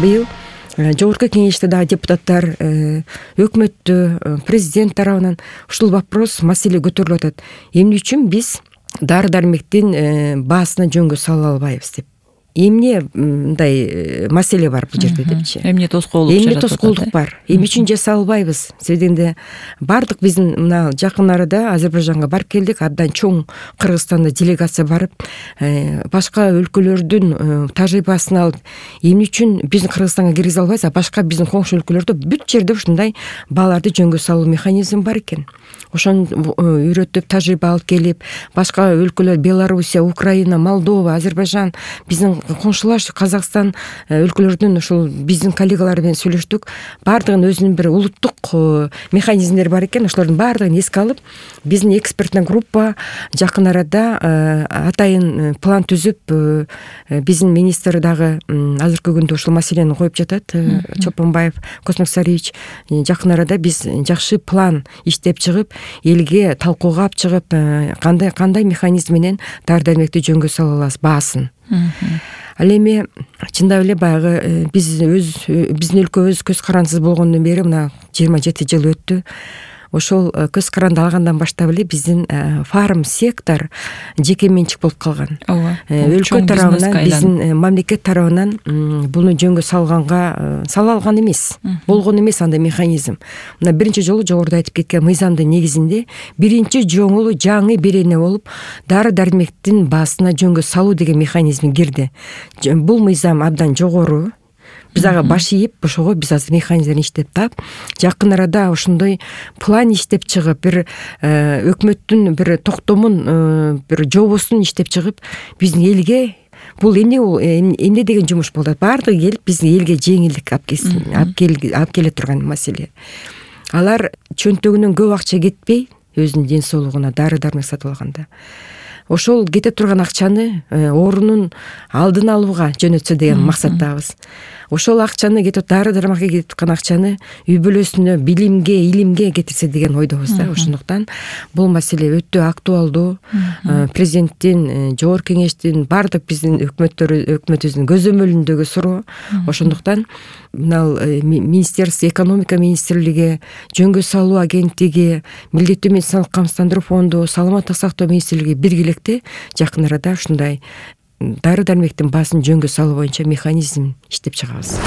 быйыл жогорку кеңеште дагы депутаттар, өкмөттө, президент тарабынан ушул вопрос, маселе көтөрүлүп атат. Эмне үчүн биз дары-дармектин баасына жөнгө сала албайбыз деп. Эмне мындай маселе бар бул жерде депчи. Эмне тоскоолдук бар. Эмне үчүн жаса албайбыз? Себебинде бардык биздин мына жакын арада Азербайжанга барып келдик, абдан чоң Кыргызстанда делегация барып, башка өлкөлөрдүн тажрыйбасын алып, эмне үчүн биздин Кыргызстанга киргизе албайбыз, а башка биздин коңшу өлкөлөрдө бүт жерде ушундай бааларды жөнгө салуу механизми бар экен. Ошону үйрөтүп, тажрыйба алып келип, башка өлкөлөр Белоруссия, Украина, Молдова, Азербайжан, биздин коңшулаш Казакстан өлкөлөрдүн ушул биздин коллегалар менен сүйлөштүк. Бардыгынын өзүнүн бир улуттук механизмдери бар экен. Ошолордун бардыгын эске алып, биздин эксперттик группа жакын арада атайын план түзүп, биздин министр дагы азыркы күндө ушул маселени коюп жатат. Чопонбаев Космок Сарыевич, жакын арада биз жакшы план иштеп чыгып, элге талкууга алып чыгып, кандай механизм менен дары-дармекти жөнгө сала алабыз баасын. Ал эми чындап эле баягы биздин өлкөбүз көз карандысыз болгондон бери мына 27 жыл өттү. Ошол көз каранды алгандан баштап эле биздин фарм сектор жеке менчик болуп калган. Өлкө тарабынан, биздин мамлекет тарабынан буну жөнгө сала алган эмес, болгон эмес андай механизм. Мына биринчи жолу жогоруда айтып кеткен мыйзамдын негизинде биринчи жолу жаңы берене болуп дары-дармектин баасына жөнгө салуу деген механизм кирди. Бул мыйзам абдан жогору. Биз ага баш ийип, ошого биз азыр механизмдерин иштеп таап, жакын арада ошондой план иштеп чыгып, бир өкмөттүн бир токтомун, бир жобосун иштеп чыгып, биздин элге бул эмне деген жумуш болот. Бардыгы келип биздин элге жеңилдик алып келе турган маселе. Алар чөнтөгүнөн көп акча кетпей, өзүнүн ден соолугуна дары-дармек сатып алганда, ошол кете турган акчаны оорунун алдын алууга жөнөтсө деген максаттабыз. Ошол акчаны дары-дармекке кетип аткан акчаны үй бүлөсүнө, билимге, илимге кетирсе деген ойдобуз да. Ошондуктан бул маселе өтө актуалдуу. Президенттин, жогорку кеңештин, бардык биздин өкмөтүбүздүн көзөмөлүндөгү суроо. Ошондуктан мына министерство, экономика министрлиги, жөнгө салуу агенттиги, милдеттүү медициналык камсыздандыруу фонду, саламаттык сактоо министрлиги биргеликте жакын арада ушундай дары-дармектин баасын жөнгө салуу боюнча механизм иштеп чыгабыз.